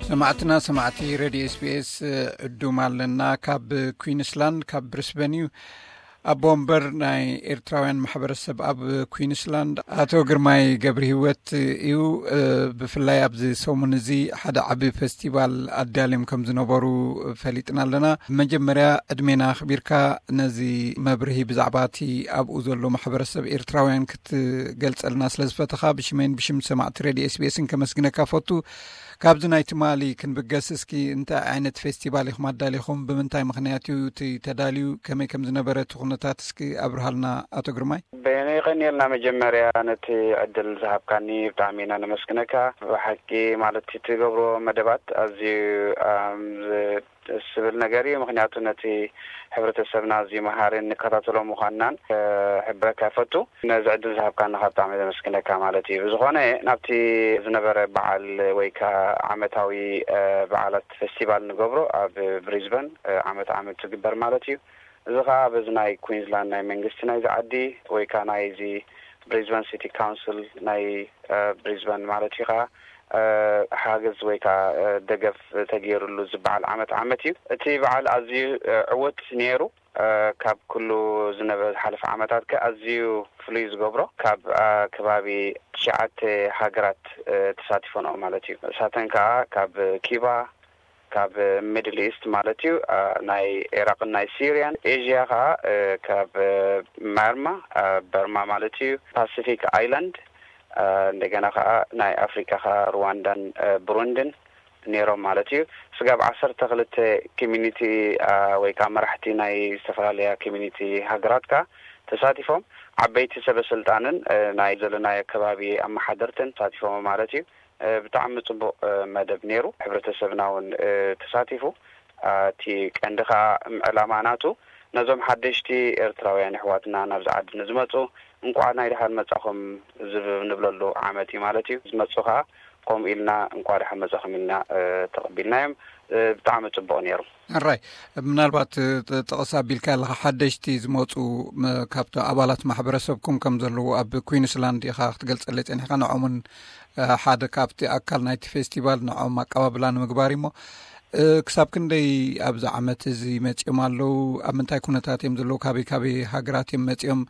ሰማዕትና ሰማዕቲ ሬድዮ ኤስቢኤስ፣ ዕዱም ኣለና። ካብ ኩዊንስላንድ፣ ካብ ብሪስበን እዩ። ኣቦ ወንበር ናይ ኤርትራውያን ማሕበረሰብ ኣብ ኩዊንስላንድ ኣቶ ግርማይ ገብረ ህይወት እዩ። ብፍላይ ኣብዚ ሰሙን እዚ ሓደ ዓቢ ፌስቲቫል ኣዳልዮም ከም ዝነበሩ ፈሊጥና ኣለና። መጀመርያ ዕድሜና ኣኽቢርካ ነዚ መብርሂ ብዛዕባ እቲ ኣብኡ ዘሎ ማሕበረሰብ ኤርትራውያን ክትገልጸልና ስለ ዝፈተኻ፣ ብሽመይን ብሽም ሰማዕቲ ሬድዮ ኤስቢኤስን ከመስግነካ ፈቱ። ካብዚ ናይ ትማሊ ክንብገስ፣ እስኪ እንታይ ዓይነት ፌስቲቫል ኢኹም ኣዳሊኹም? ብምንታይ ምኽንያት እዩ እቲ ተዳልዩ? ከመይ ከም ዝነበረ እቲ ኩነታት እስኪ ኣብርሃልና ኣቶ ግርማይ። በየነ ይቐንየልና መጀመርያ ነቲ ዕድል ዝሃብካኒ ብጣዕሚ ኢና ነመስግነካ። ብሓቂ ማለት እቲ ትገብሮ መደባት ኣዝዩ፣ ኣም፣ ዝ-፣ ደስ ዝብል ነገር እዩ። ምኽንያቱ ነቲ ሕብረተሰብና ኣዝዩ መሃርን ንከታተሎ ምዃንናን፣ እ፣ ሕብረካ ይፈቱ። ነዚ ዕድል ዝሃብካኒ ካብ ብጣዕሚ ዘመስግነካ ማለት እዩ። ብዝኾነ ናብቲ ዝነበረ በዓል ወይ ከኣ ዓመታዊ፣ እ፣ በዓላት ፌስቲቫል ንገብሮ ኣብ ብሪዝበን፣ እ፣ ዓመት ዓመት ዝግበር ማለት እዩ። እዚ ከኣ በዚ ናይ ኩዊንስላንድ ናይ መንግስቲ ናይዚ ዓዲ ወይ ከኣ ናይዚ ብሪዝበን ሲቲ ካውንስል ናይ፣ እ፣ ብሪዝበን ማለት እዩ ከኣ፣ እ፣ ሓገዝ ወይ ከኣ፣ እ፣ ደገፍ ተገይሩሉ ዝበዓል ዓመት ዓመት እዩ። እቲ በዓል ኣዝዩ፣ እ፣ ዕዉት ነይሩ። እ፣ ካብ ኩሉ ዝነበረ ዝሓለፈ ዓመታት ከ ኣዝዩ ፍሉይ ዝገብሮ ካብ፣ እ፣ ከባቢ ትሽዓተ ሃገራት፣ እ፣ ተሳቲፈንኦ ማለት እዩ። ንሳተን ከኣ ካብ ኪባ፣ ካብ ሚድል ኢስት ማለት እዩ፣ እ፣ ናይ ኢራቅን ናይ ሲርያን፣ ኤዥያ ከኣ፣ እ፣ ካብ፣ እ፣ ማርማ፣ እ፣ በርማ ማለት እዩ፣ ፓሲፊክ ኣይላንድ፣ እ፣ እንደገና ከኣ ናይ ኣፍሪቃ ከኣ ሩዋንዳን፣ እ፣ ብሩንድን ነይሮም ማለት እዩ። ስጋብ ዓሰርተ ክልተ ኮሚኒቲ፣ እ፣ ወይ ከኣ መራሕቲ ናይ ዝተፈላለያ ኮሚኒቲ ሃገራት ከኣ ተሳቲፎም፣ ዓበይቲ ሰበ ስልጣንን፣ እ፣ ናይ ዘለናዮ ከባቢ ኣመሓደርትን ተሳቲፎም ማለት እዩ። እ፣ ብጣዕሚ ጽቡቕ፣ እ፣ መደብ ነይሩ። ሕብረተሰብና እውን፣ እ፣ ተሳቲፉ። እ፣ እቲ ቀንዲ ከኣ ዕላማ ናቱ ነዞም ሓደሽቲ ኤርትራውያን ኣሕዋትና ናብዚ ዓዲ ንዝመጹ እንቋዕ ናይ ደሓን መጻኹም ዝብ-፣ ንብለሉ ዓመት እዩ ማለት እዩ። ዝመጹ ከኣ ከምኡ ኢልና እንቋዕ ደሓን መጻኹም ኢልና፣ እ፣ ተቐቢልናዮም። እ፣ ብጣዕሚ ጽቡቕ ነይሩ። ሕራይ፣ ምናልባት፣ እ፣ ጥ-፣ ጥቕስ ኣቢልካ ኣለኻ፣ ሓደሽቲ ዝመጹ፣ ም-፣ ካብቲ ኣባላት ማሕበረሰብኩም ከም ዘለዉ ኣብ ኩዊንስላንድ ኢኻ ክትገልጸለይ ጸኒሕካ፣ ንዖምን፣ እ፣ ሓደ ካብቲ ኣካል ናይቲ ፌስቲቫል ንዖም ኣቀባብላ ንምግባር እሞ፣ እ፣ ክሳብ ክንደይ ኣብዚ ዓመት እዚ መጺኦም ኣለዉ? ኣብ ምንታይ ኩነታት እዮም ዘለዉ? ካበይ ካበይ ሃገራት እዮም መጺኦም?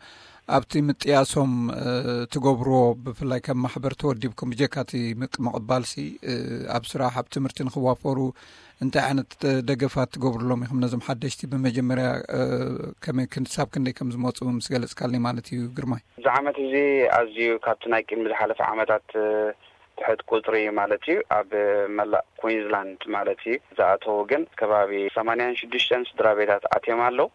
ኣብቲ ምጥያሶም፣ እ፣ ትገብርዎ፣ ብፍላይ ከም ማሕበር ተወዲብኩም፣ ብጀካ እቲ ምቅ-፣ ምቕባልሲ፣ እ፣ ኣብ ስራሕ፣ ኣብ ትምህርቲ ንኽዋፈሩ እንታይ ዓይነት፣ እ፣ ደገፋት ትገብሩሎም ኢኹም? ነዞም ሓደሽቲ ብመጀመርያ፣ እ፣ ከመይ ክን-፣ ክሳብ ክንደይ ከም ዝመጹ ምስ ገለጽካልኒ ማለት እዩ ግርማይ። እዚ ዓመት እዚ ኣዝዩ ካብቲ ናይ ቅድሚ ዝሓለፈ ዓመታት፣ እ፣ ትሕት ቁጽሪ ማለት እዩ። ኣብ መላእ ኩዊንስላንድ ማለት እዩ ዝኣተዉ ግን ከባቢ ሰማንያን ሽዱሽተን ስድራ ቤታት ኣትዮም ኣለዉ።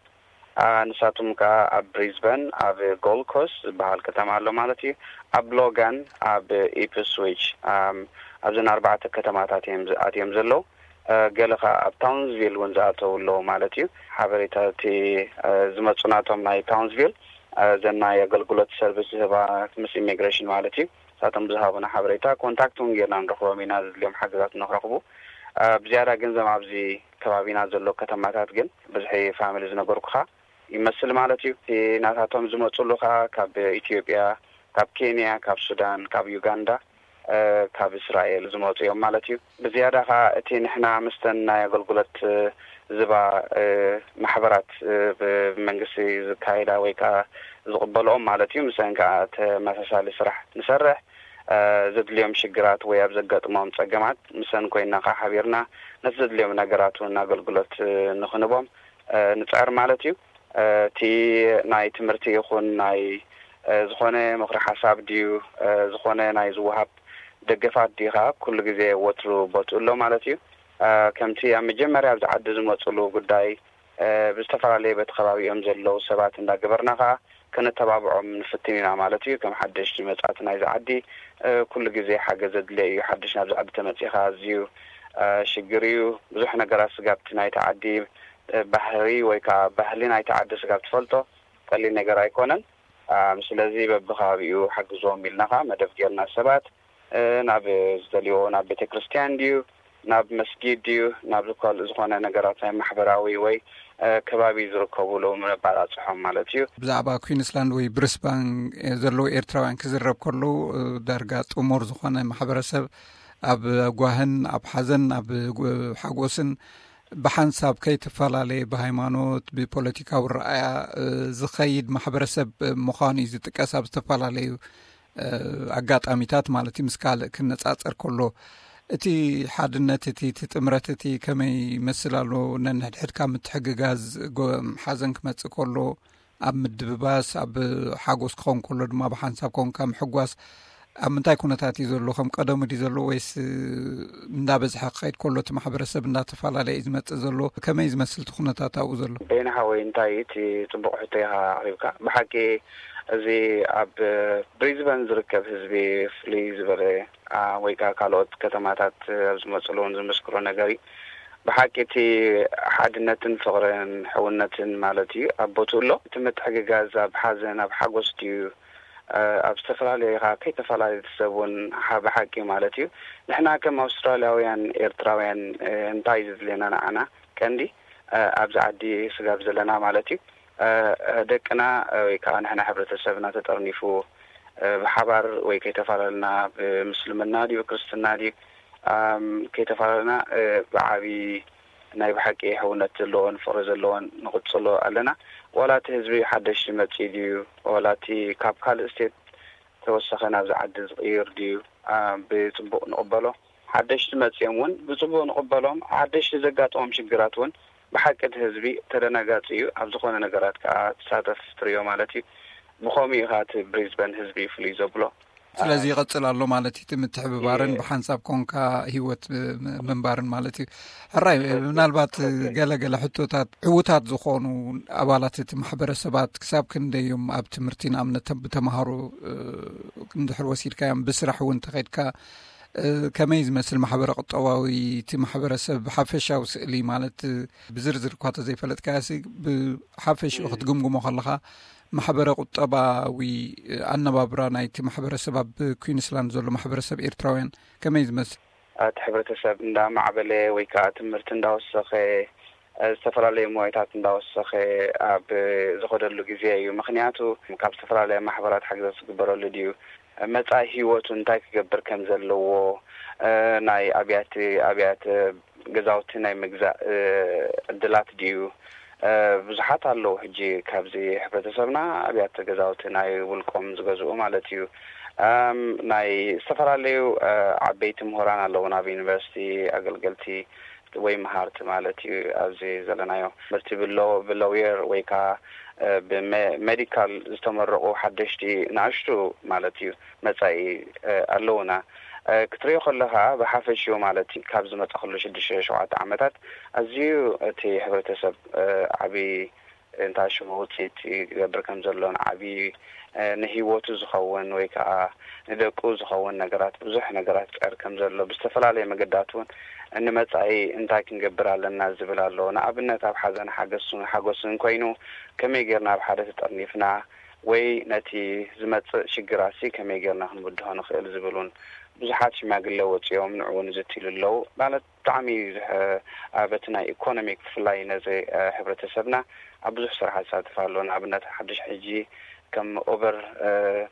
ኣ፣ ንሳቶም ከኣ ኣብ ብሪዝበን፣ ኣብ ጎልድ ኮስት ዝበሃል ከተማ ኣሎ ማለት እዩ፣ ኣብ ሎጋን፣ ኣብ ኢፕስዊች፣ ኣም፣ ኣብዘን ኣርባዕተ ከተማታት እዮም ዝ-፣ ኣትዮም ዘለዉ። እ፣ ገለ ከኣ ኣብ ታውንስቪል እውን ዝኣተዉ ኣለዉ ማለት እዩ። ሓበሬታ እቲ፣ እ፣ ዝመጹ ናቶም ናይ ታውንስቪል፣ እ፣ እዘን ናይ ኣገልግሎት ሰርቪስ ዝህባ ምስ ኢሚግሬሽን ማለት እዩ። ንሳቶም ብዝሃቡና ሓበሬታ ኮንታክት እውን ጌርና ንረኽቦም ኢና፣ ዘድልዮም ሓገዛት ንኽረኽቡ። እ፣ ብዝያዳ ግን ዘም ኣብዚ ከባቢና ዘሎ ከተማታት ግን ብዝሒ ፋሚሊ ዝነገርኩኻ ይመስል ማለት እዩ። እቲ ናታቶም ዝመጹሉ ኸኣ ካብ ኢትዮጵያ፣ ካብ ኬንያ፣ ካብ ሱዳን፣ ካብ ዩጋንዳ፣ እ፣ ካብ እስራኤል ዝመጹ እዮም ማለት እዩ። ብዝያዳ ኸኣ እቲ ንሕና ምስተን ናይ ኣገልግሎት፣ እ፣ ዝባ፣ እ፣ ማሕበራት፣ እ፣ ብመንግስቲ ዝካየዳ ወይ ከኣ ዝቕበልኦም ማለት እዩ፣ ምሰን ከኣ ተመሳሳሊ ስራሕ ንሰርሕ። እ፣ ዘድልዮም ሽግራት ወይ ኣብ ዘጋጥሞም ጸገማት ምሰን ኮይንና ከኣ ሓቢርና ነቲ ዘድልዮም ነገራት እውን ኣገልግሎት፣ እ፣ ንኽንቦም፣ እ፣ ንጽዕር ማለት እዩ። እ፣ እቲ ናይ ትምህርቲ ይኹን ናይ፣ እ፣ ዝኾነ ምኽሪ ሓሳብ ድዩ፣ እ፣ ዝኾነ ናይ ዝወሃብ ደገፋት ድዩ ኸኣ ኩሉ ግዜ ወትሩ ቦትኡ ኣሎ ማለት እዩ። እ፣ ከምቲ ኣብ መጀመርያ ኣብዚ ዓዲ ዝመጹሉ ጉዳይ፣ እ፣ ብዝተፈላለየ በቲ ከባቢኦም ዘለዉ ሰባት እንዳገበርና ኸኣ ከነተባብዖም ንፍትን ኢና ማለት እዩ። ከም ሓደሽቲ መጻእቲ ናይዚ ዓዲ፣ እ፣ ኩሉ ግዜ ሓገዝ ዘድልዮ እዩ። ሓድሽ ናብዚ ዓዲ ተመጺኻ ኣዝዩ፣ እ፣ ሽግር እዩ። ብዙሕ ነገራት ስጋብቲ ናይቲ ዓዲ፣ እ፣ ባህሪ ወይ ከኣ ባህሊ ናይቲ ዓዲ ስጋብ ትፈልጦ ቀሊል ነገር ኣይኮነን። ኣም፣ ስለዚ በብከባቢኡ ሓግዝዎም ኢልና ኸኣ መደብ ጌርና ሰባት፣ እ፣ ናብ ዝደልይዎ፣ ናብ ቤተ ክርስቲያን ድዩ፣ ናብ መስጊድ ድዩ፣ ናብ ዝኮል-፣ ዝኾነ ነገራት ናይ ማሕበራዊ ወይ፣ እ፣ ከባቢ ዝርከቡ ሎም ነባላጽሖም ማለት እዩ። ብዛዕባ ኩዊንስላንድ ወይ ብሪስባን፣ እ፣ ዘለዉ ኤርትራውያን ክዝረብ ከሎ፣ እ፣ ዳርጋ ጥሙር ዝኾነ ማሕበረሰብ ኣብ ጓህን ኣብ ሓዘን ኣብ ሓጎስን ብሓንሳብ ከይተፈላለየ ብሃይማኖት ብፖለቲካዊ ረኣያ ዝኸይድ ማሕበረሰብ ምዃኑ እዩ ዝጥቀስ። ኣብ ዝተፈላለዩ ኣጋጣሚታት ማለት እዩ ምስ ካልእ ክነፃፀር ከሎ እቲ ሓድነት እቲ እቲ ጥምረት እቲ ከመይ ይመስል ኣሎ? ነንሕድሕድካ ምትሕግጋዝ ሓዘን ክመፅእ ከሎ ኣብ ምድብባስ ኣብ ሓጎስ ክኸውን ከሎ ድማ ብሓንሳብ ኮንካ ምሕጓስ ኣብ ምንታይ ኩነታት እዩ ዘሎ? ከም ቀደሙ ድዩ ዘሎ ወይስ እንዳበዝሐ ክኸይድ ከሎ እቲ ማሕበረሰብ እንዳተፈላለየ እዩ ዝመፅእ ዘሎ? ከመይ ዝመስል እቲ ኩነታት ኣብኡ ዘሎ? በይነ ሓወይ እንታይ እቲ ፅቡቕ ሕቶ ኢኻ ኣቕሪብካ። ብሓቂ እዚ ኣብ ብሪዝበን ዝርከብ ህዝቢ ፍልይ ዝበለ ወይ ከዓ ካልኦት ከተማታት ኣብ ዝመፅሉ እውን ዝምስክሮ ነገር እዩ። ብሓቂ እቲ ሓድነትን ፍቕርን ሕውነትን ማለት እዩ ኣብ ቦትኡ ኣሎ። እቲ ምትሕግጋዝ ኣብ ሓዘን ኣብ ሓጎስ ድዩ ኣብ ዝተፈላለዩ ከ ከይተፈላለዩ ሰብ እውን ብሓቂ ማለት እዩ። ንሕና ከም ኣውስትራልያውያን ኤርትራውያን እንታይ ዝድልየና ንዓና ቀንዲ ኣብዚ ዓዲ ስጋብ ዘለና ማለት እዩ ደቅና ወይ ከዓ ንሕና ሕብረተሰብና ተጠርኒፉ ብሓባር ወይ ከይተፈላለና ብምስልምና ድዩ ክርስትና ድዩ ከይተፈላለና ብዓብዪ ናይ ብሓቂ ሕውነት ዘለዎን ፍቕሪ ዘለዎን ንቕፅሎ ኣለና። ዋላ እቲ ህዝቢ ሓደሽ መፂ ድዩ ዋላ እቲ ካብ ካልእ ስቴት ተወሰኸ ናብዚ ዓዲ ዝቕይር ድዩ ብፅቡቕ ንቕበሎ። ሓደሽቲ መፂኦም እውን ብፅቡቕ ንቕበሎም። ሓደሽቲ ዘጋጥሞም ሽግራት እውን ብሓቂ እቲ ህዝቢ ተደናጋፂ እዩ። ኣብ ዝኾነ ነገራት ከዓ ትሳተፍ ትሪኦ ማለት እዩ። ብኸምኡ እዩ ከዓ እቲ ብሪዝበን ህዝቢ ፍሉይ ዘብሎ። ስለዚ ይቐፅል ኣሎ ማለት እዩ። እቲ ምትሕብባርን ብሓንሳብ ኮንካ ህይወት ምንባርን ማለት እዩ። ሕራይ ምናልባት ገለገለ ሕቶታት ዕዉታት ዝኾኑ ኣባላት እቲ ማሕበረሰባት ክሳብ ክንደይ እዮም ኣብ ትምህርቲ ንኣብነት ብተምሃሮ እንድሕር ወሲድካዮም ብስራሕ እውን ተኸድካ ከመይ ዝመስል ማሕበረ ቁጠባዊ እቲ ማሕበረሰብ ሓፈሻዊ ስእሊ ማለት ብዝርዝር እኳ ተዘይፈለጥካዮ ብሓፈሽኡ ክትግምግሞ ከለካ ማሕበረ ቁጠባዊ ኣነባብራ ናይቲ ማሕበረሰብ ኣብ ኩንስላንድ ዘሎ ማሕበረሰብ ኤርትራውያን ከመይ ዝመስል? እቲ ሕብረተሰብ እንዳማዕበለ ወይ ከዓ ትምህርቲ እንዳወሰኸ ዝተፈላለዩ ሞያታት እንዳወሰኸ ኣብ ዝኸደሉ ግዜ እዩ። ምክንያቱ ካብ ዝተፈላለያ ማሕበራት ሓገዛት ዝግበረሉ ድዩ መፃኢ ህይወቱ እንታይ ክገብር ከም ዘለዎ ናይ ኣብያት ኣብያት ገዛውቲ ናይ ምግዛእ ዕድላት ድዩ ብዙሓት ኣለዉ። ሕጂ ካብዚ ሕብረተሰብና ኣብያተ ገዛውቲ ናይ ውልቆም ዝገዝኡ ማለት እዩ። ናይ ዝተፈላለዩ ዓበይቲ ምሁራን ኣለዉ ናብ ዩኒቨርሲቲ ኣገልገልቲ ወይ መሃርቲ ማለት እዩ። ኣብዚ ዘለናዮ ትምህርቲ ብለውየር ወይ ከዓ ብሜዲካል ዝተመረቑ ሓደሽቲ ንኣሽቱ ማለት እዩ መፃኢ ኣለውና። ክትሪኦ ከለካ ብሓፈሽኡ ማለት ካብ ዝመፀ ከሎ ሽዱሽተ ሸውዓተ ዓመታት ኣዝዩ እቲ ሕብረተሰብ ዓብዪ እንታሽሙ ውፅኢት ይገብር ከም ዘሎን ዓብዪ ንህይወቱ ዝኸውን ወይ ከዓ ንደቁ ዝኸውን ነገራት ብዙሕ ነገራት ይፅዕር ከም ዘሎ ብዝተፈላለየ መገዳት እውን ንመፃኢ እንታይ ክንገብር ኣለና ዝብል ኣሎ። ንኣብነት ኣብ ሓዘን ሓገሱን ሓጎስን ኮይኑ ከመይ ጌርና ኣብ ሓደ ተጠርኒፍና ወይ ነቲ ዝመፅእ ሽግራት ሲ ከመይ ጌርና ክንብድሆ ንኽእል ዝብል እውን ብዙሓት ሽማግለ ወፂኦም ንዕኡ ንዝትሉ ኣለዉ ማለት ብጣዕሚ በቲ ናይ ኢኮኖሚክ ብፍላይ ነዚ ሕብረተሰብና ኣብ ብዙሕ ስራሕ ዝሳተፍ ኣሎ። ንኣብነት ሓድሽ ሕጂ ከም ኦቨር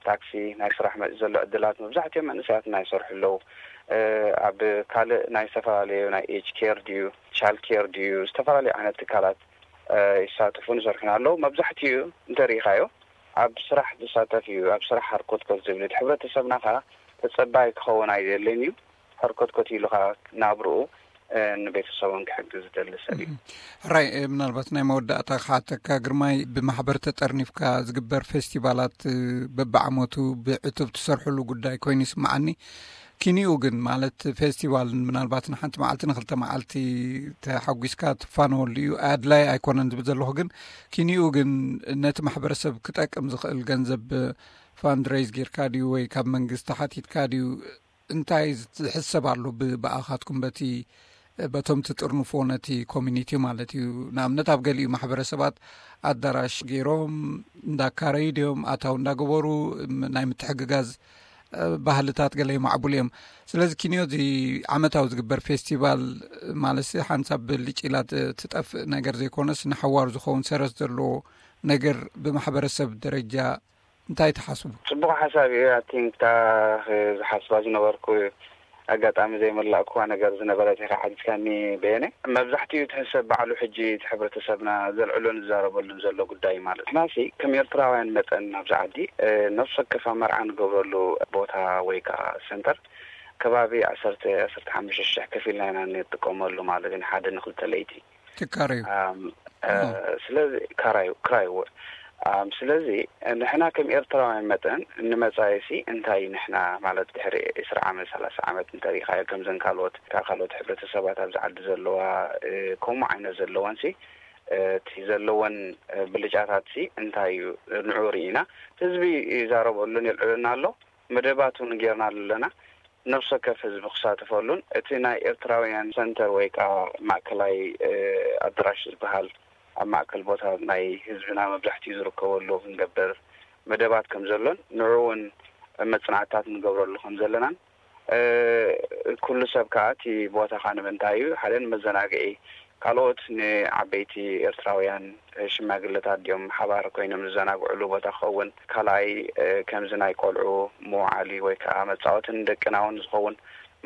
ታክሲ ናይ ስራሕ መፂ ዘሎ ዕድላት መብዛሕትኦም መንእሰያትና ይሰርሑ ኣለዉ። ኣብ ካልእ ናይ ዝተፈላለዩ ናይ ኤጅ ኬር ድዩ ቻል ኬር ድዩ ዝተፈላለዩ ዓይነት ትካላት ይሳተፉን ይሰርሑን ኣለዉ። መብዛሕትኡ እንተሪኢኻዮ ኣብ ስራሕ ዝሳተፍ እዩ። ኣብ ስራሕ ሃርኮትኮት ዝብል እቲ ሕብረተሰብና ከዓ ተፀባይ ክኸውን ኣይደልን እዩ። ሕርኮትኮት ኢሉ ከዓ ናብርኡ ንቤተሰቡን ክሕግዝ ዝደሊ ሰብ እዩ። ሕራይ ምናልባት ናይ መወዳእታ ክሓተካ ግርማይ፣ ብማሕበር ተጠርኒፍካ ዝግበር ፌስቲቫላት በብዓመቱ ብዕቱብ ትሰርሕሉ ጉዳይ ኮይኑ ይስምዓኒ። ኪኒኡ ግን ማለት ፌስቲቫል ምናልባት ንሓንቲ መዓልቲ ንክልተ መዓልቲ ተሓጒስካ ትፋነወሉ እዩ። ኣድላይ ኣይኮነን ዝብል ዘለኹ ግን ኪኒኡ ግን ነቲ ማሕበረሰብ ክጠቅም ዝኽእል ገንዘብ ፋንድሬይዝ ጌርካ ድዩ ወይ ካብ መንግስቲ ሓቲትካ ድዩ? እንታይ ዝሕሰብ ኣሎ ብኣኻትኩም በቲ በቶም ትጥርንፎ ነቲ ኮሚኒቲ ማለት እዩ? ንኣብነት ኣብ ገሊኡ ማሕበረሰባት ኣዳራሽ ገይሮም እንዳካረዩ ድዮም ኣታው እንዳገበሩ ናይ ምትሕግጋዝ ባህልታት ገለ ይማዕቡሉ እዮም። ስለዚ ኪንዮ እዚ ዓመታዊ ዝግበር ፌስቲቫል ማለት ሓንሳብ ብልጭ ኢላ ትጠፍእ ነገር ዘይኮነስ ንሓዋሩ ዝኸውን ሰረት ዘለዎ ነገር ብማሕበረሰብ ደረጃ እንታይ ትሓስቡ? ፅቡቕ ሓሳብ እዩ። ኣቲንክታ ዝሓስባ ዝነበርኩ ኣጋጣሚ ዘይመላእኩዋ ነገር ዝነበረት ኢኻ ሓቲትካኒ በየነ። መብዛሕትኡ እቲ ሰብ ባዕሉ ሕጂ እቲ ሕብረተሰብና ዘልዕሎን ዝዛረበሉን ዘሎ ጉዳይ ማለት ናሲ ከም ኤርትራውያን መጠን ኣብዚ ዓዲ ነፍሲ ወከፍ መርዓ ንገብረሉ ቦታ ወይ ከዓ ሰንተር ከባቢ ዓሰርተ ዓሰርተ ሓሙሽተ ሽሕ ከፊልና ኢና እንጥቀመሉ ማለት እዩ። ሓደ ንክልተ ለይቲ ትካረዩ ስለዚ ካራዩ ክራይዎ ስለዚ ንሕና ከም ኤርትራውያን መጠን ንመጻኢሲ እንታይ ንሕና ማለት ድሕሪ ዕስራ ዓመት ሰላሳ ዓመት እንተሪኢኻዮ ከምዘን ካልኦት ካብ ካልኦት ሕብረተሰባት ኣብዚ ዓዲ ዘለዋ ከምኡ ዓይነት ዘለወንሲ እቲ ዘለወን ብልጫታትሲ እንታይ እዩ ንዑ ርኢና ህዝቢ ይዛረበሉን የልዕልና ኣሎ መደባት እውን ጌርና ኣለና ነፍሰ ከፍ ህዝቢ ክሳተፈሉን እቲ ናይ ኤርትራውያን ሰንተር ወይ ከዓ ማእከላይ ኣድራሽ ዝበሃል ኣብ ማእከል ቦታ ናይ ህዝብና መብዛሕትኡ ዝርከበሉ ክንገብር መደባት ከም ዘሎን ንዑ እውን መፅናዕትታት ንገብረሉ ከም ዘለናን ኩሉ ሰብ ከዓ እቲ ቦታ ከዓ ንምንታይ እዩ ሓደ ንመዘናግዒ ካልኦት ንዓበይቲ ኤርትራውያን ሽማግለታት ድዮም ሓባር ኮይኖም ዝዘናግዕሉ ቦታ ክኸውን ካልኣይ ከምዚ ናይ ቆልዑ መውዓሊ ወይ ከዓ መፃወትን ደቅና እውን ዝኸውን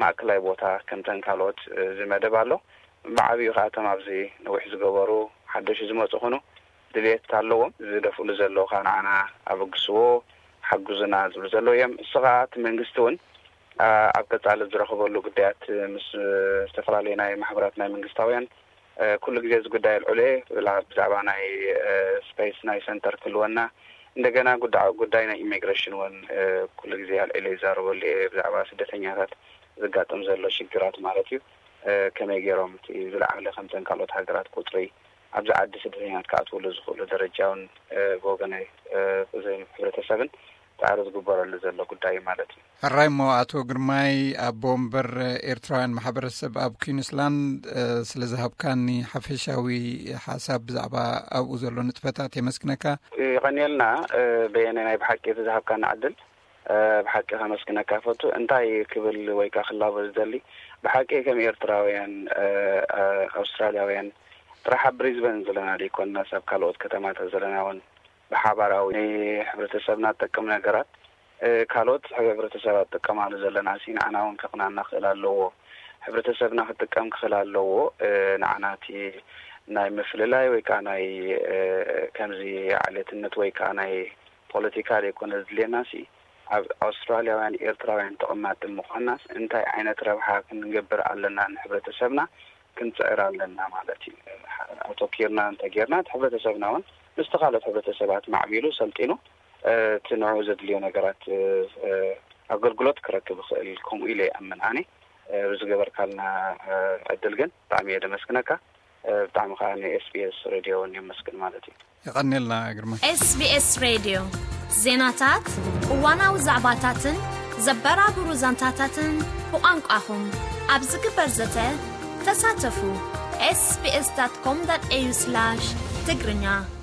ማእከላይ ቦታ ከምተን ካልኦት ዝመደብ ኣሎ ብዓብዩ ከዓ እቶም ኣብዚ ነዊሕ ዝገበሩ ሓደሽ ዝመፁ ኩኑ ድልየት ኣለዎም ዝደፍእሉ ዘለዉ ከዓ ንዓና ኣበግስዎ ሓጉዝና ዝብሉ ዘለዉ እዮም እሱ ከዓ እቲ መንግስቲ እውን ኣብ ቀፃሊ ዝረኽበሉ ጉዳያት ምስ ዝተፈላለዩ ናይ ማሕበራት ናይ መንግስታውያን ኩሉ ግዜ እዚ ጉዳይ ኣልዕሎ ብዛዕባ ናይ ስፔስ ናይ ሰንተር ክህልወና እንደገና ጉዳይ ናይ ኢሚግሬሽን እውን ኩሉ ግዜ ኣልዕሎ ይዛረበሉ እየ ብዛዕባ ስደተኛታት ዝጋጥም ዘሎ ሽግራት ማለት እዩ ከመይ ገይሮም እቲ ዝለዓለ ከምተን ካልኦት ሃገራት ቁፅሪ ኣብዚ ዓዲ ስደተኛታት ክኣትውሉ ዝኽእሉ ደረጃ እውን ብወገነ ህብረተሰብን ፃዕሪ ዝግበረሉ ዘሎ ጉዳይ ማለት እዩ። ሕራይ እሞ ኣቶ ግርማይ ኣቦ ወንበር ኤርትራውያን ማሕበረሰብ ኣብ ኩንስላንድ ስለ ዝሃብካኒ ሓፈሻዊ ሓሳብ ብዛዕባ ኣብኡ ዘሎ ንጥፈታት የመስግነካ። ይቐንየልና በየነ ናይ ብሓቂ እቲ ዝሃብካኒ ዕድል ብሓቂ ከመስግነካ ፈቱ። እንታይ ክብል ወይ ከዓ ክላቦ ዝደሊ ብሓቂ ከም ኤርትራውያን ኣውስትራልያውያን ጥራሕ ኣብ ብሪዝበን ዘለና ዘይኮንና ሰብ ካልኦት ከተማታት ዘለና እውን ብሓባራዊ ንሕብረተሰብና ዝጠቅም ነገራት ካልኦት ሕብረተሰብ ኣጥቀማሉ ዘለና ሲ ንዓና እውን ከቕናና ክእል ኣለዎ። ሕብረተሰብና ክጥቀም ክኽእል ኣለዎ። ንዓና እቲ ናይ ምፍልላይ ወይ ከዓ ናይ ከምዚ ዓሌትነት ወይ ከዓ ናይ ፖለቲካ ዘይኮነ ዝድልየና ሲ ኣብ ኣውስትራልያውያን ኤርትራውያን ተቐማጢ ምዃንናስ እንታይ ዓይነት ረብሓ ክንገብር ኣለና ንሕብረተሰብና ክንፅዕር ኣለና ማለት እዩ። ኣተኪርና እንተጌርና እቲ ሕብረተሰብና እውን ምስቲ ካልኦት ሕብረተሰባት ማዕቢሉ ሰልጢኑ እቲ ንዕኡ ዘድልዮ ነገራት ኣገልግሎት ክረክብ ይኽእል ከምኡ ኢለ ይኣምን ኣነ። ብዝገበርካልና ዕድል ግን ብጣዕሚ እየ ደመስግነካ። ብጣዕሚ ከዓ ን SBS ሬድዮ እውን የመስግን ማለት እዩ። የቐንየልና ግርማ። SBS ሬድዮ ዜናታት፣ እዋናዊ ዛዕባታትን ዘበራብሩ ዛንታታትን ብቋንቋኹም ኣብ ዝግበር ዘተ ተሳተፉ። sbs.com.au/ትግርኛ